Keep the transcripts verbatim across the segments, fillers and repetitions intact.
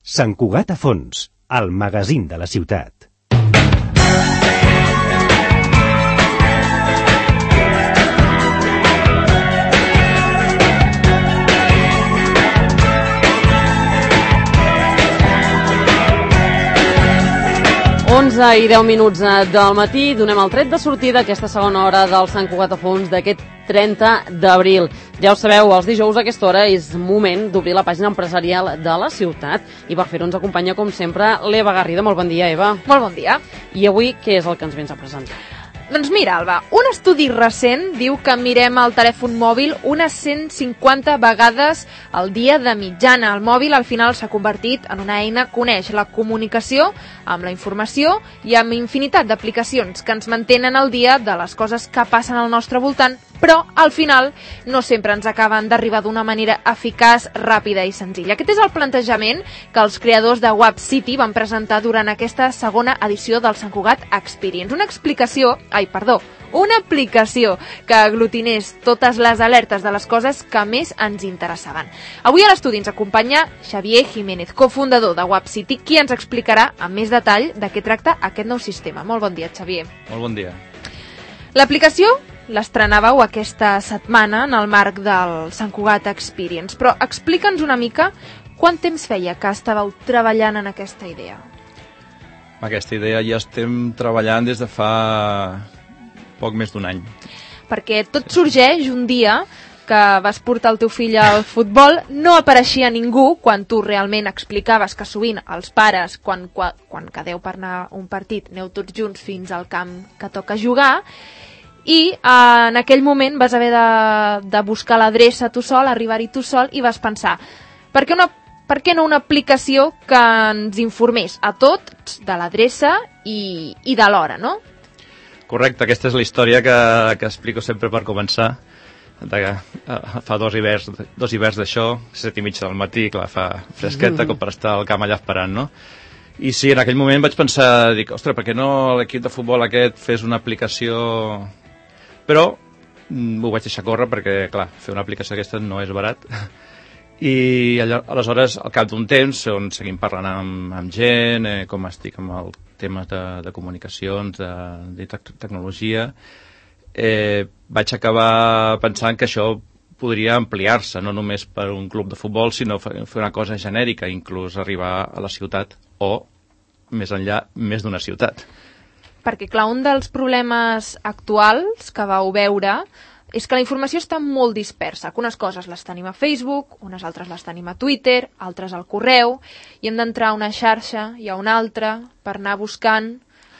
Sant Cugat a fons, el magazín de la ciutat. onze i deu minuts del matí, donem el tret de sortida aquesta segona hora del Sant Cugat a fons d'aquest trenta d'abril. Ja ho sabeu, els dijous a aquesta hora és moment d'obrir la pàgina empresarial de la ciutat i per fer-ho ens acompanya, com sempre, l'Eva Garrido. Molt bon dia, Eva. Molt bon dia. I avui què és el que ens vens a presentar? Doncs mira, Alba, un estudi recent diu que mirem el telèfon mòbil unes cent cinquanta vegades al dia de mitjana. El mòbil al final s'ha convertit en una eina que uneix la comunicació amb la informació i amb infinitat d'aplicacions que ens mantenen al dia de les coses que passen al nostre voltant, però al final no sempre ens acaben d'arribar d'una manera eficaç, ràpida i senzilla. Aquest és el plantejament que els creadors de Web City van presentar durant aquesta segona edició del Sant Cugat Experience. Una explicació, ai, perdó, una aplicació que aglutinés totes les alertes de les coses que més ens interessaven. Avui a l'estudi ens acompanya Xavier Jiménez, cofundador de Web City, qui ens explicarà amb més detall de què tracta aquest nou sistema. Molt bon dia, Xavier. Molt bon dia. L'aplicació l'estrenàveu aquesta setmana en el marc del Sant Cugat Experience, però explica'ns una mica quant temps feia que estàveu treballant en aquesta idea. Aquesta idea ja estem treballant des de fa poc més d'un any. Perquè tot sorgeix un dia que vas portar el teu fill al futbol, no apareixia ningú quan tu realment explicaves que sovint els pares, quan, quan, quan quedeu per anar a un partit, aneu tots junts fins al camp que toca jugar, i eh, en aquell moment vas haver de, de buscar l'adreça tu sol, arribar-hi tu sol, i vas pensar, per què, una, per què no una aplicació que ens informés a tots de l'adreça i, i de l'hora, no? Correcte, aquesta és la història que, que explico sempre per començar. De, uh, fa dos hiverns, dos hiverns d'això, set i mitja del matí, clar, fa fresqueta, mm. com per estar al camp allà esperant, no? I sí, en aquell moment vaig pensar, dic, ostres, per què no l'equip de futbol aquest fes una aplicació... Però mm, ho vaig deixar córrer perquè, clar, fer una aplicació aquesta no és barat. I allò, aleshores, al cap d'un temps, on seguim parlant amb, amb gent, eh, com estic amb el temes de, de comunicacions, de, de tec tecnologia, eh, vaig acabar pensant que això podria ampliar-se, no només per un club de futbol, sinó fer una cosa genèrica, inclús arribar a la ciutat o, més enllà, més d'una ciutat. Perquè, clar, un dels problemes actuals que vau veure és que la informació està molt dispersa, que unes coses les tenim a Facebook, unes altres les tenim a Twitter, altres al correu, i hem d'entrar a una xarxa i a una altra per anar buscant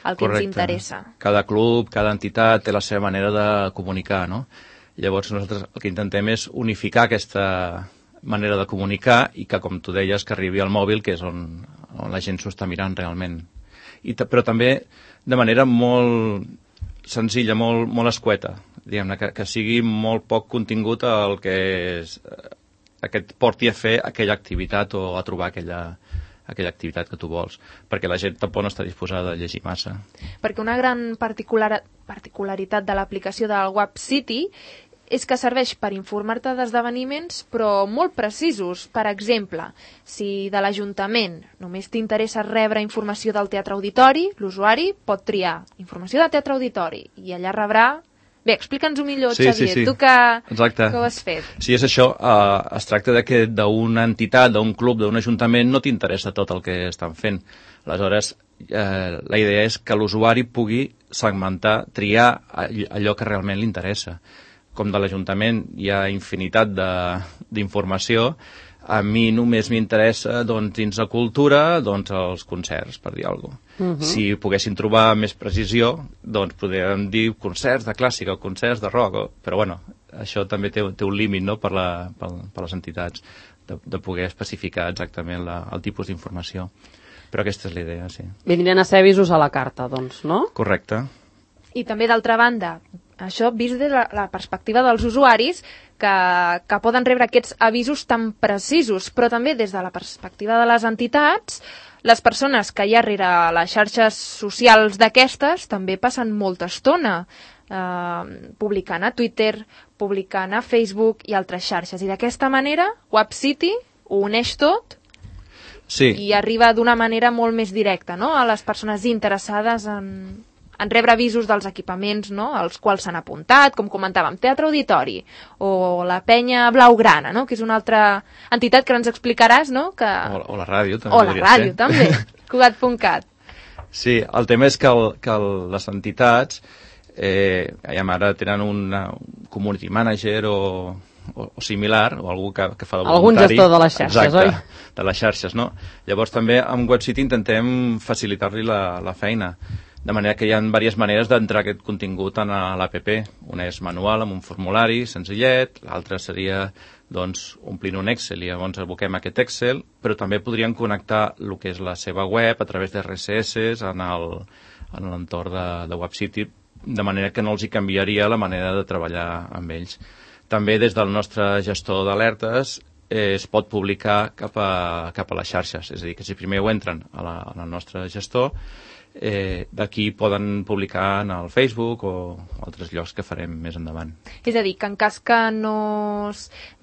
el que Correcte. Ens interessa. Cada club, cada entitat té la seva manera de comunicar, no? Llavors nosaltres el que intentem és unificar aquesta manera de comunicar i que, com tu deies, que arribi al mòbil, que és on, on la gent s'ho està mirant realment. I però també de manera molt senzilla, molt, molt escueta, diguem-ne, que, que sigui molt poc contingut el que és, eh, que et porti a fer aquella activitat o a trobar aquella, aquella activitat que tu vols, perquè la gent tampoc no està disposada a llegir massa. Perquè una gran particular, particularitat de l'aplicació del Web City és que serveix per informar-te d'esdeveniments, però molt precisos. Per exemple, si de l'Ajuntament només t'interessa rebre informació del Teatre Auditori, l'usuari pot triar informació de Teatre Auditori i allà rebrà... Bé, explica'ns-ho millor, sí, Xavier, sí, sí. tu que, Exacte. que ho has fet. Sí, és això. Uh, es tracta de que d'una entitat, d'un club, d'un ajuntament, no t'interessa tot el que estan fent. Aleshores, eh, la idea és que l'usuari pugui segmentar, triar allò que realment li interessa. Com de l'Ajuntament hi ha infinitat d'informació, a mi només m'interessa, doncs, dins la cultura, doncs, els concerts, per dir alguna cosa. Uh -huh. Si poguessin trobar més precisió, doncs, podríem dir concerts de clàssica o concerts de rock, o... però, bueno, això també té, té un límit, no?, per, la, per, per les entitats, de, de poder especificar exactament la, el tipus d'informació. Però aquesta és la idea, sí. Vindrien a ser avisos a la carta, doncs, no? Correcte. I també, d'altra banda, això vist des de la, la perspectiva dels usuaris, que, que poden rebre aquests avisos tan precisos, però també des de la perspectiva de les entitats, les persones que hi ha rere les xarxes socials d'aquestes també passen molta estona eh, publicant a Twitter, publicant a Facebook i altres xarxes. I d'aquesta manera, Web City ho uneix tot Sí. I arriba d'una manera molt més directa, no?, a les persones interessades en, en rebre avisos dels equipaments, no?, als quals s'han apuntat, com comentàvem, Teatre Auditori, o la Penya Blaugrana, no?, que és una altra entitat que ens explicaràs, no?, que... O, o la ràdio, també. O la ràdio, ser. també, Cugat punt cat. Sí, el tema és que, el, que el, les entitats eh, ara tenen una, un community manager o, o, o similar, o algú que, que fa de voluntari. Algun gestor de les xarxes, exacte, oi? De les xarxes, no? Llavors també amb WebCity intentem facilitar-li la, la feina, de manera que hi ha diverses maneres d'entrar aquest contingut en l'app. Una és manual, amb un formulari senzillet, l'altra seria doncs, omplint un Excel i llavors aboquem aquest Excel, però també podrien connectar el que és la seva web a través de R S S en l'entorn de, de WebCity, de manera que no els hi canviaria la manera de treballar amb ells. També des del nostre gestor d'alertes eh, es pot publicar cap a, cap a les xarxes, és a dir, que si primer ho entren a la, en el nostre gestor, eh, d'aquí poden publicar en el Facebook o altres llocs que farem més endavant. És a dir, que en cas que no...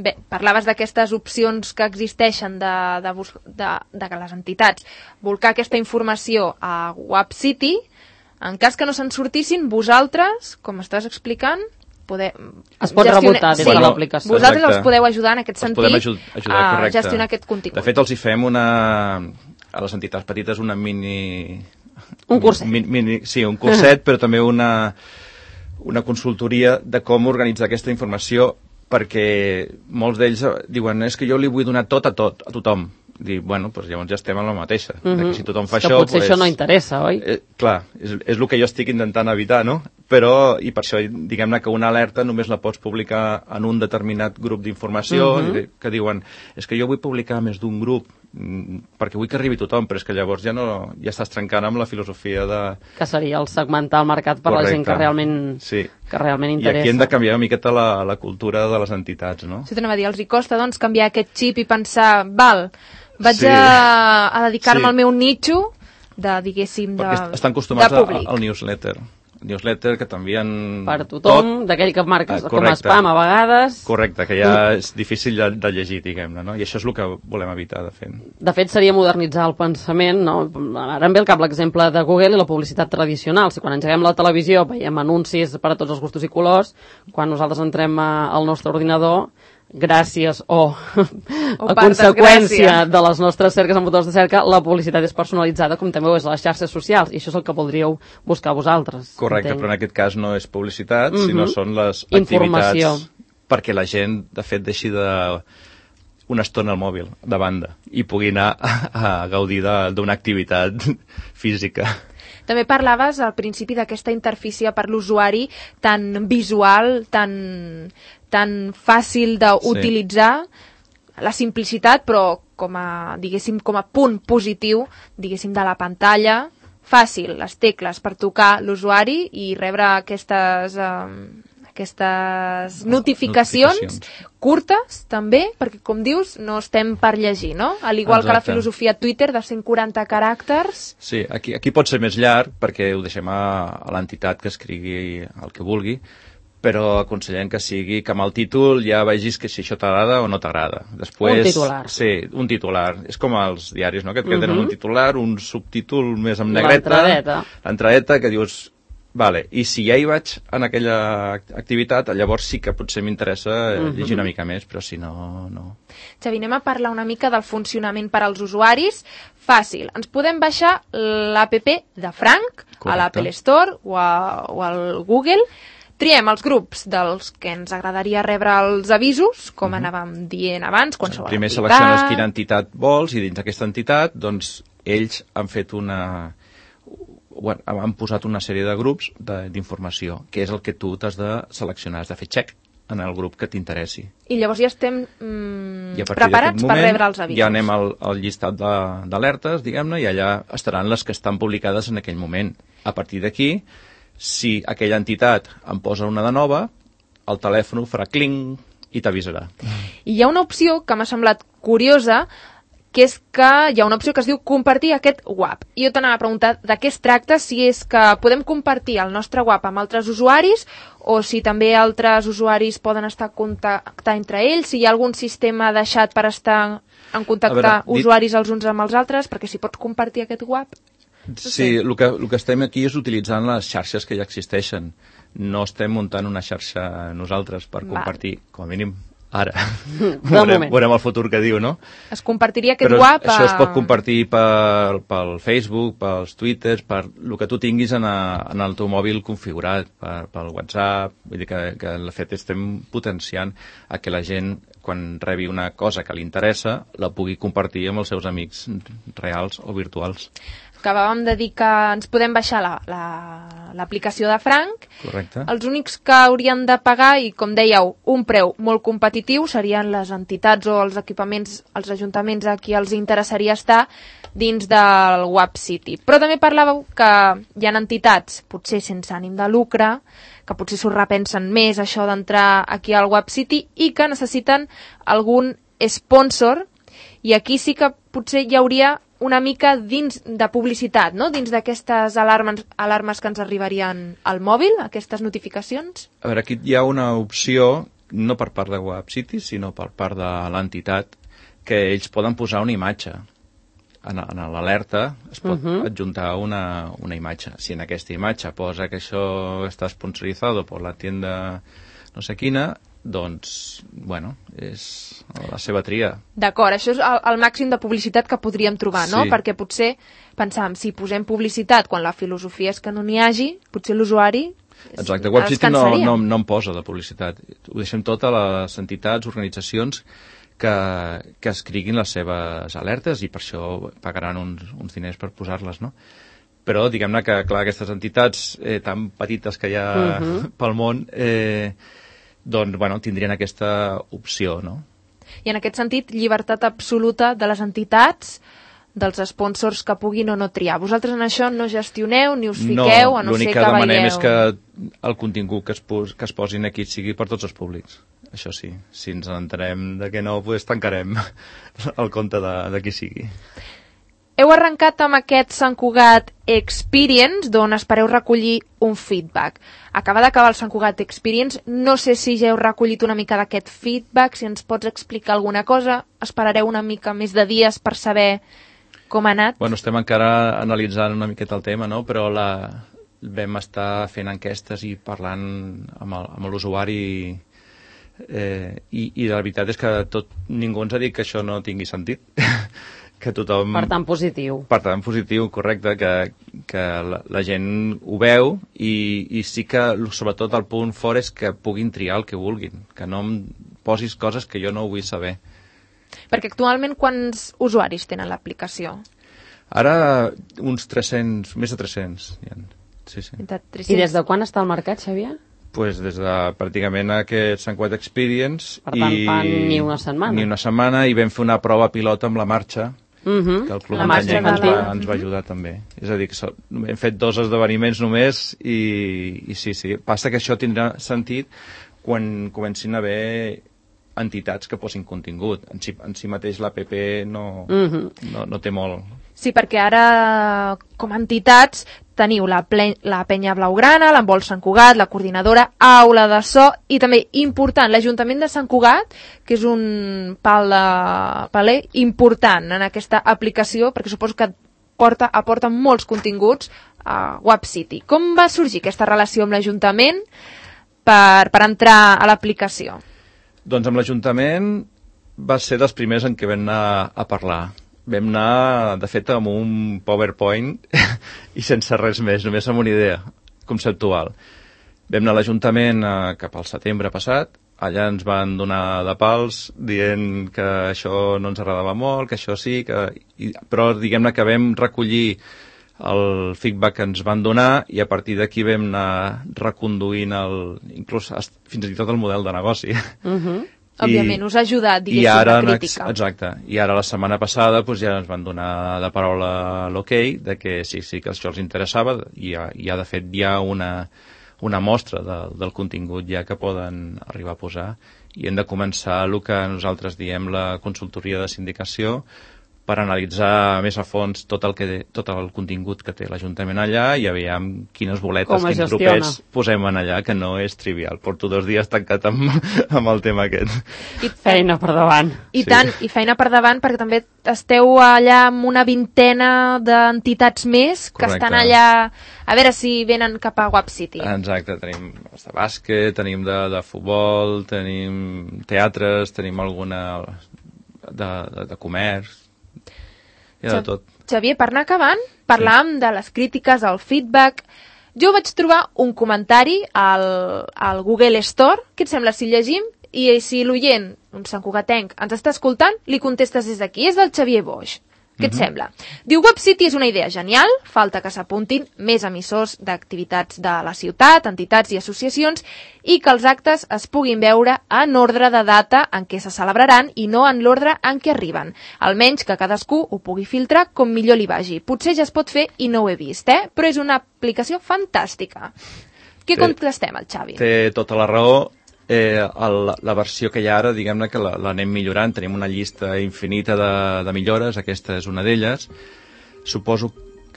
Bé, parlaves d'aquestes opcions que existeixen de, de, de, de que les entitats volcar aquesta informació a WebCity, en cas que no se'n sortissin, vosaltres, com estàs explicant, poder... es pot gestionar... rebotar des sí, de l'aplicació. Vosaltres Exacte. els podeu ajudar en aquest Els sentit podem aju ajudar, a correcte. gestionar aquest contingut. De fet, els hi fem una... a les entitats petites una mini... Un curset. Mini, mini, sí, un curset, però també una, una consultoria de com organitzar aquesta informació, perquè molts d'ells diuen és que jo li vull donar tot a tot, a tothom. Dir, bueno, doncs llavors ja estem en la mateixa. Mm -hmm. Si tothom fa que això... potser pues, això no interessa, oi? Eh, clar, és, és el que jo estic intentant evitar, no? Però, i per això, diguem-ne que una alerta només la pots publicar en un determinat grup d'informació, mm -hmm. que diuen, és que jo vull publicar més d'un grup, perquè vull que arribi tothom, però és que llavors ja no ja estàs trencant amb la filosofia de... Que seria el segmentar el mercat per Correcte. La gent que realment, sí. que realment interessa. I aquí hem de canviar una miqueta la, la cultura de les entitats, no? Això t'anava a dir, els hi costa, doncs, canviar aquest xip i pensar, val, vaig sí. a, a dedicar-me sí. al meu nitxo de, diguéssim, de, perquè estan acostumats de públic. al newsletter. Newsletter que t'envien per tothom, d'aquell que marques ah, com a spam a vegades. Correcte, que ja és difícil de, de llegir, diguem-ne, no? I això és el que volem evitar de fer. De fet, seria modernitzar el pensament, no? Ara em ve al cap l'exemple de Google i la publicitat tradicional. Si quan engeguem la televisió veiem anuncis per a tots els gustos i colors, quan nosaltres entrem a, al nostre ordinador, gràcies o, o a conseqüència de les nostres cerques en motors de cerca, la publicitat és personalitzada, com també ho és a les xarxes socials, i això és el que voldríeu buscar vosaltres. Correcte, entenc. Però en aquest cas no és publicitat, mm-hmm. sinó són les Informació. activitats perquè la gent, de fet, deixi de una estona al mòbil, de banda, i pugui anar a, a gaudir d'una activitat física. També parlaves al principi d'aquesta interfície per l'usuari tan visual, tan... tan fàcil d'utilitzar, sí. La simplicitat, però com a, diguéssim, com a punt positiu, diguéssim, de la pantalla, fàcil, les tecles per tocar l'usuari i rebre aquestes, eh, aquestes notificacions, notificacions curtes, també, perquè, com dius, no estem per llegir, no? Al igual Exacte. Que la filosofia Twitter de cent quaranta caràcters. Sí, aquí, aquí pot ser més llarg, perquè ho deixem a, a l'entitat que escrigui el que vulgui, però aconsellem que sigui que amb el títol ja vegis que si això t'agrada o no t'agrada. Després, un titular. Sí, un titular. És com els diaris, no? Que et uh-huh. tenen un titular, un subtítol més amb negreta. L'entradeta. L'entradeta, que dius, vale, i si ja hi vaig en aquella activitat, llavors sí que potser m'interessa uh-huh. llegir una mica més, però si no, no. Xavi, anem a parlar una mica del funcionament per als usuaris. Fàcil, ens podem baixar l'app de Frank Correcte. A l'Apple Store o, a, o al Google. Triem els grups dels que ens agradaria rebre els avisos, com uh-huh. anàvem dient abans, qualsevol Primer entitat. selecciones quina entitat vols i dins d'aquesta entitat, doncs, ells han fet una... Bueno, han posat una sèrie de grups d'informació, que és el que tu t'has de seleccionar, has de fer check en el grup que t'interessi. I llavors ja estem mm, I preparats moment, per rebre els avisos. Ja anem al, al llistat d'alertes, diguem-ne, i allà estaran les que estan publicades en aquell moment. A partir d'aquí, si aquella entitat en posa una de nova, el telèfon farà cling i t'avisarà. I hi ha una opció que m'ha semblat curiosa, que és que hi ha una opció que es diu compartir aquest WAP. I jo t'anava a preguntar de què es tracta, si és que podem compartir el nostre WAP amb altres usuaris o si també altres usuaris poden estar en contacte entre ells, si hi ha algun sistema deixat per estar en contactar veure, dit... usuaris els uns amb els altres, perquè si pots compartir aquest web... No sí, sé. el que, el que estem aquí és utilitzant les xarxes que ja existeixen. No estem muntant una xarxa nosaltres per compartir, Va. com a mínim, ara. veurem, veurem el futur que diu, no? Es compartiria aquest Però web... això a... es pot compartir per, pel Facebook, pels Twitters, per el que tu tinguis en, a, en el teu mòbil configurat, per, pel WhatsApp. Vull dir que, que de fet estem potenciant a que la gent, quan rebi una cosa que li interessa, la pugui compartir amb els seus amics reals o virtuals. Acabàvem de dir que ens podem baixar l'aplicació la, la, de Frank. Correcte. Els únics que haurien de pagar, i com dèieu, un preu molt competitiu, serien les entitats o els equipaments, els ajuntaments a qui els interessaria estar dins del Web City. Però també parlàveu que hi ha entitats, potser sense ànim de lucre, que potser s'ho repensen més això d'entrar aquí al Web City i que necessiten algun sponsor, i aquí sí que potser hi hauria una mica dins de publicitat, no? Dins d'aquestes alarmes, alarmes que ens arribarien al mòbil, aquestes notificacions? A veure, aquí hi ha una opció, no per part de Web City, sinó per part de l'entitat, que ells poden posar una imatge. En, en l'alerta es pot uh-huh. adjuntar una, una imatge. Si en aquesta imatge posa que això està sponsoritzado per la tienda no sé quina, doncs, bueno, és la seva tria. D'acord, això és el, el màxim de publicitat que podríem trobar, no? Sí. Perquè potser pensàvem, si posem publicitat quan la filosofia és que no n'hi hagi, potser l'usuari Exacte, Web City no, no, no em posa de publicitat. Ho deixem tot a les entitats, organitzacions que, que escriguin les seves alertes i per això pagaran uns, uns diners per posar-les, no? Però diguem-ne que, clar, aquestes entitats eh, tan petites que hi ha uh-huh. pel món, eh, doncs, bueno, tindrien aquesta opció, no? I en aquest sentit, llibertat absoluta de les entitats, dels sponsors que puguin o no triar. Vosaltres en això no gestioneu ni us fiqueu, no, a no ser que veieu... No, l'únic que demanem és que el contingut que es, pos, que es posin aquí sigui per tots els públics. Això sí, si ens entenem de que no, doncs tancarem el compte de, de qui sigui. Heu arrencat amb aquest Sant Cugat Experience, d'on espereu recollir un feedback. Acaba d'acabar el Sant Cugat Experience, no sé si ja heu recollit una mica d'aquest feedback, si ens pots explicar alguna cosa, esperareu una mica més de dies per saber com ha anat? Bueno, estem encara analitzant una miqueta el tema, no? Però la, vam estar fent enquestes i parlant amb l'usuari eh, i, i la veritat és que tot, ningú ens ha dit que això no tingui sentit. Que tothom... Per tant, positiu. Per tant, positiu, correcte, que, que la, la gent ho veu i, i sí que, sobretot, el punt fort és que puguin triar el que vulguin, que no em posis coses que jo no vull saber. Perquè actualment quants usuaris tenen l'aplicació? Ara, uns tres-cents, més de tres-cents. Sí, sí. De tres-cents. I des de quan està al mercat, Xavier? Pues des de pràcticament aquest Sant Cugat Experience. Per tant, i... fan ni una setmana. Ni una setmana, i vam fer una prova pilot amb la marxa, Uh-huh. que el Club La marxa Muntanya ens, de- va, ens va ajudar també. És a dir, que so, hem fet dos esdeveniments només i, i sí, sí. Passa que això tindrà sentit quan comencin a haver entitats que posin contingut. En si, en si mateix l'A P P no, Uh-huh. no, no té molt... Sí, perquè ara, com a entitats, teniu la, ple la Penya Blaugrana, l'Envol Sant Cugat, la Coordinadora, Aula de So, i també, important, l'Ajuntament de Sant Cugat, que és un pal de paler important en aquesta aplicació, perquè suposo que porta, aporta molts continguts a Web City. Com va sorgir aquesta relació amb l'Ajuntament per, per entrar a l'aplicació? Doncs amb l'Ajuntament va ser dels primers en què vam anar a parlar. Vam anar, de fet, amb un PowerPoint i sense res més, només amb una idea conceptual. Vam anar a l'Ajuntament eh, cap al setembre passat, allà ens van donar de pals dient que això no ens agradava molt, que això sí, que... I, però diguem-ne que vam recollir el feedback que ens van donar i a partir d'aquí vam anar reconduint el, inclús fins i tot el model de negoci. Uh-huh. Òbviament, us ha ajudat, diguéssim, I ara, la crítica. exacte. I ara, la setmana passada, doncs, ja ens van donar de paraula l'ok, de que sí, sí que això els interessava, i ja, ja de fet hi ha una, una mostra de, del contingut ja que poden arribar a posar, i hem de començar el que nosaltres diem la consultoria de sindicació per analitzar més a fons tot el, que, tot el contingut que té l'Ajuntament allà i aviam quines boletes, quins tropets posem en allà, que no és trivial. Porto dos dies tancat amb, amb el tema aquest. I feina per davant. I sí. tant, i feina per davant, perquè també esteu allà amb una vintena d'entitats més que Correcte. Estan allà a veure si venen cap a WAP City. Exacte, tenim de bàsquet, tenim de, de futbol, tenim teatres, tenim alguna de, de, de comerç, i de tot. Xavier, per anar acabant, parlàvem sí. de les crítiques, el feedback. Jo vaig trobar un comentari al, al Google Store. Què et sembla si llegim? I si l'oient, un santcugatenc, ens està escoltant, li contestes des d'aquí. És del Xavier Boix. Què et mm-hmm. sembla? Diu, WAP City és una idea genial, falta que s'apuntin més emissors d'activitats de la ciutat, entitats i associacions, i que els actes es puguin veure en ordre de data en què se celebraran i no en l'ordre en què arriben. Almenys que cadascú ho pugui filtrar com millor li vagi. Potser ja es pot fer i no ho he vist, eh? Però és una aplicació fantàstica. Què contestem al Xavi? Té tota la raó. Eh, el, la versió que hi ha ara, diguem-ne que l'anem millorant, tenim una llista infinita de, de millores, aquesta és una d'elles. Suposo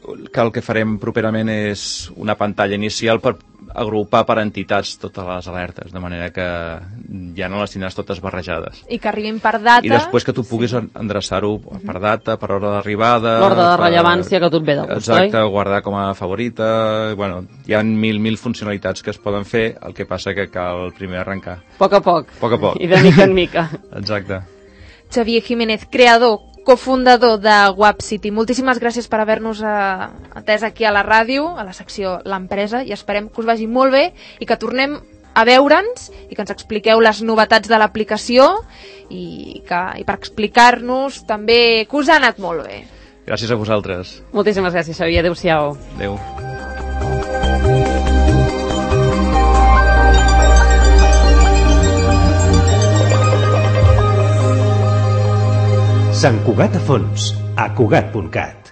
que el que farem properament és una pantalla inicial per agrupar per entitats totes les alertes, de manera que ja no les tindràs totes barrejades. I que arribin per data. I després que tu puguis sí. endreçar-ho per data, per hora d'arribada... L'ordre de per... rellevància que tu et ve de gust, Exacte, oi? Guardar com a favorita... Bueno, hi ha mil, mil funcionalitats que es poden fer, el que passa que cal primer arrencar. A poc a poc. A poc a poc. I de mica en mica. Exacte. Xavier Jiménez, creador, cofundador de WAP City. Moltíssimes gràcies per haver-nos eh, atès aquí a la ràdio, a la secció L'Empresa, i esperem que us vagi molt bé i que tornem a veure'ns i que ens expliqueu les novetats de l'aplicació i, que, i per explicar-nos també que us ha anat molt bé. Gràcies a vosaltres. Moltíssimes gràcies, Xavier. Adéu-siau. Adéu. Sant Cugat a fons, a Cugat punt cat.